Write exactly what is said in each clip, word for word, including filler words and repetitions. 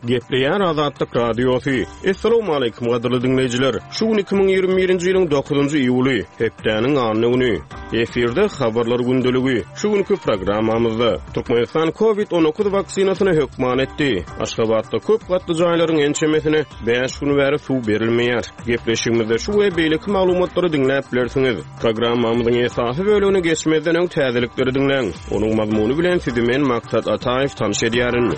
Gepleýär Azatlyk Radiosy. Essalawmaleýkim gadyrly diňleýjiler. Şu gün iki müň ýigrimi birinji ýylyň dokuzynjy iýuly, hepdäniň anna güni. Efirde habarlar gündeligi. Şu günki programmamyzda Türkmenistan COVID on dokuz waksinasyny hökman etdi. Aşgabatda köp gatly jaýlaryň ençemesine bäş gün bäri suw berilmeýär. Gepleşigimizde şu we beýleki maglumatlary diňläp bilersiňiz. Programmamyzyň esasy bölümine geçmezden öň täzelikleri diňläň. Onuň mazmuny bilen sizi men Maksat Ataýew tanyş edýärin.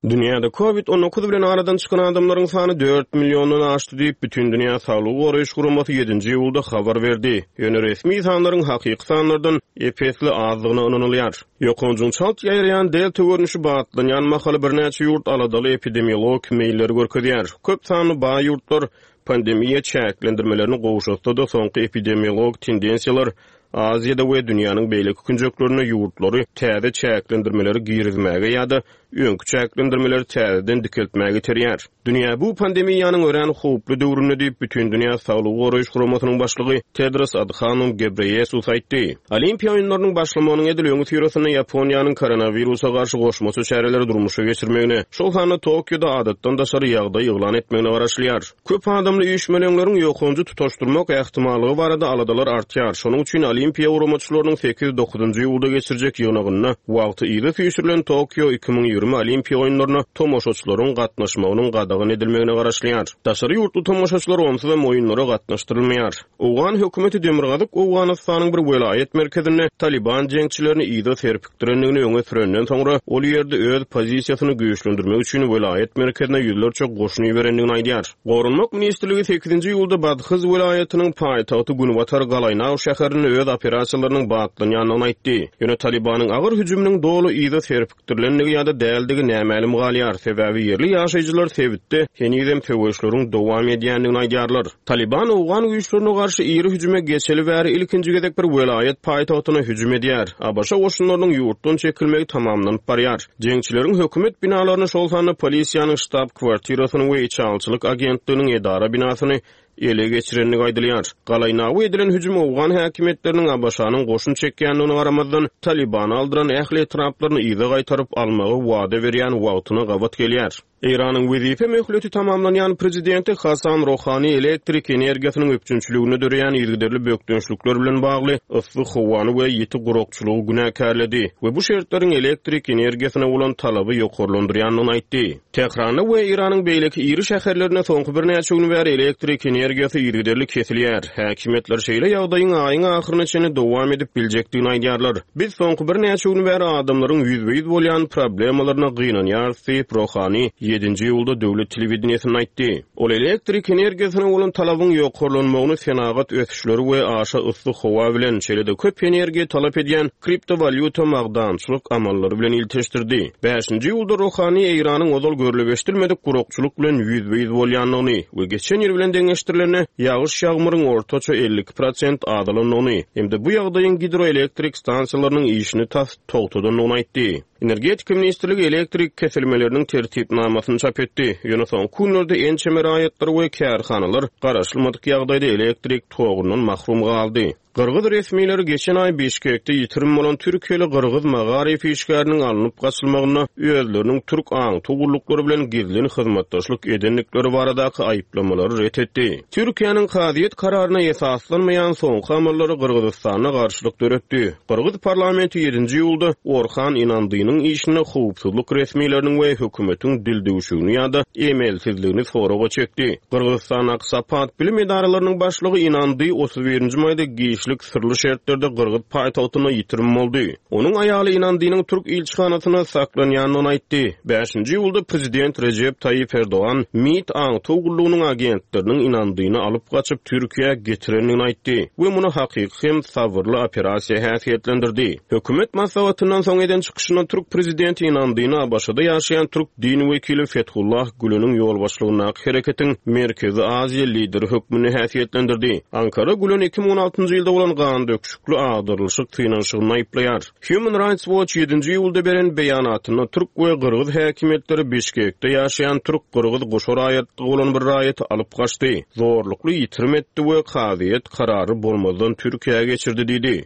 Dünýäde COVID on dokuz bilen aradan çykan adamlaryň sany dört milliondan aşdy diýip, Bütindünýä Saglygy Goraýyş Guramasy ýedinji iýulda habar berdi. Ýöne resmi sanlaryň hakyky sanlardan ep-esli azdygyna ynanylýar. Ýokanjyň çalt ýaýraýan delta görnüşi batlanýan mahaly birnäçe ýurt aladaly epidemiologik meýilleri görkezýär. Köp sanly baý ýurtlar pandemiýa çäklendirmelerini gowşatsa-da soňky epidemiologik tendensiýalar Aziýada we dünýäniň beýleki künjeklerinde ýurtlary täze çäklendirmeleri girizmäge ýa-da öňki çäklendirmeleri täzeden dikeltmäge iterýär. Dünýä bu pandemiýanyň örän howply döwründe diýip, Bütindünýä Saglygy Goraýyş Guramasynyň başlygy Tedros Adhanom Ghebreyesus aýtdy. Olimpiýa oýunlarynyň başlamagynyň edil öňi syrasynda Ýaponiýanyň koronawirusa garşy goşmaça çäreleri durmuşa geçirmegine, şol sanda Tokioda adatdan daşary ýagdaý yglan etmegine garaşylýar. Köp adamly üýşmeleňleriň ýokanjy tutaşdyrmak ähtimallygy barada aladalar artýar. Şonuň üçin Olimpiýa guramaçylarynyň sekiz dokuzynjy iýulda geçirjek ýygnagynda wagty yza süýşürilen Tokio iki müň ýigrimi Olimpiýa oýunlaryna tomaşaçylaryň gatnaşmagynyň gadagan edilmegine garaşylýar. Daşary ýurtly tomaşaçylar onsuzam oýunlara gatnaşdyrylmaýar. Owgan hökümeti Demirgazyk Owganystanyň bir welaýat merkezinde Taliban jeňçilerini yza serpikdirendigini öňe sürenden soňra ol ýerde öz pozisiýasyny güýçlendirmek üçin welaýat merkezine ýüzlerçe goşun iberendigini aýdýar. Goranmak ministrligi sekizinji iýulda Badhyz welaýatynyň paýtagty Günbatar Galaýnaw şäherinde öz operasiýalarynyň batlanýandygyny aýtdy. Ýöne Talibanyň agyr hüjüminiň doly yza serpikdirilendigi ýa-da däldigi nämälim galýar. Sebäbi ýerli ýaşaýjylar sebitde henizem söweşleriň dowam edýändigini aýdýarlar. Taliban Owgan güýçlerine garşy iri hüjüme geçeli bäri ilkinji gezek bir welaýat paýtagtyna hüjüm edýär. ABŞ goşunlarynyň ýurtdan çekilmegi tamamlanyp barýar. Jeňçileriň hökümet binalaryny, şol sanda polisiýanyň ştab kwartirasyny we içalçylyk agentliginiň edara binasyny ele geçirenligi aýdylýar. Galaýnawy edilen hüjüm Owgan häkimiýetleriniň ABŞ-nyň goşun çekýändigine garamazdan Talibany aldyran ähli etraplaryny yza gaýtaryp almagy wada berýän wagtyna gabat gelýär. Eýranyň wezipe möhleti tamamlanýan prezidenti Hasan Rohani elektrik energiýasynyň üpjünçiligine döreýän yzygiderli bökdençlikler bilen bagly yssy howany we ýiti gurakçylygy günäkärledi we bu şertleriň elektrik energiýasyna bolan talaby ýokarlandyrýandygyny aýtdy. Tähranda we Eýranyň beýleki iri şäherlerinde soňky birnäçe gün bäri elektrik energiýasy yzygiderli kesilýär. Häkimiýetler şeýle ýagdaýyň aýyň ahyryna çenli dowam edip biljekdigini aýdýarlar. Biz soňky birnäçe gün bäri adamlaryň ýüzbe-ýüz bolýan problemalaryna gynanýarys diýip Rohani ýedinji iýulda döwlet telewideniýesinde aýtdy. Ol elektrik energiýasyna bolan talabyň ýokarlanmagyny senagat ösüşleri we aşa yssy howa bilen, şeýle-de köp energiýa talap edýän kriptowalýuta magdançylyk amallary bilen ilteşdirdi. Bäşinji iýulda Rohani Eýranyň ozal görlüp eşidilmedik gurakçylyk bilen ýüzbe-ýüz bolýandygyny we geçen ýyl bilen deňeşdirilende ýagyş ýagmyryň ortaça elli iki prosent azalandygyny hem-de bu ýagdaýyň gidroelektrik stansiýalarynyň işini tas togtadandygyny aýtdy. Energetika ministrligi elektrik kesilmeleriniň tertipnamasyny çap etdi. Ýöne soňky günlerde ençeme raýatlar we kärhanalar garaşylmadyk ýagdaýda elektrik togundan mahrum galdy. Gyrgyz resmileri geçen aý Bişkekde ýitirim bolan Türkiýeli Gyrgyz magaryf işgäriniň alnyp gaçylmagynda özleriniň türk aňty gulluklary bilen gizlin hyzmatdaşlyk edendikleri baradaky aýyplamalary ret etdi. Türkiýäniň kazyýet kararyna esaslanmaýan soňky amallary Gyrgyzystanda garşylyk döretdi. Gyrgyz parlamenti ýedinji iýulda Orhan Inandynyň işine howpsuzlyk resmileriniň we hökümetiň dildüwşügini ýa-da emelsizligini soraga çekdi. Gyrgyzystandaky Sapat bilim edaralarynyň başlygy Inandy otuz birinji maýda giçlik syrly şertlerde Gyrgyz paýtagtyna ýitirim boldy. Onuň aýaly Inandynyň türk ilçihanasyna saklanýandygyny aýtdy. Bäşinji iýulda prezident Rejep Taýyp Erdogan MİT aňtaw gullugynyň agentleriniň Inandyny alyp gaçyp Türkiýä getirendigini aýtdy we muny hakyky hem sabyrly operasiýa häsiýetlendirdi. Hökümet maslahatyndan soň eden çykyşynda türk prezidenti Inandyny ABŞ-da ýaşaýan türk din wekili Fethullah Güleniň ýolbaşçylygyndaky hereketiň Merkezi Aziýa lideri hökmünde häsiýetlendirdi. Ankara Gülen iki müň on altynjy ýylda bolan gan döküşikli agdarylyşyk synanyşygyny aýyplaýar. Human Rights Watch ýedinji iýulda beren beýanatynda türk we gyrgyz häkimiýetleri Bişkekde ýaşaýan türk-gyrgyz goşa raýatlygy bolan bir raýaty alyp gaçdy, zorlukly ýitirim etdi we kazyýet karary bolmazdan Türkiýä geçirdi diýdi.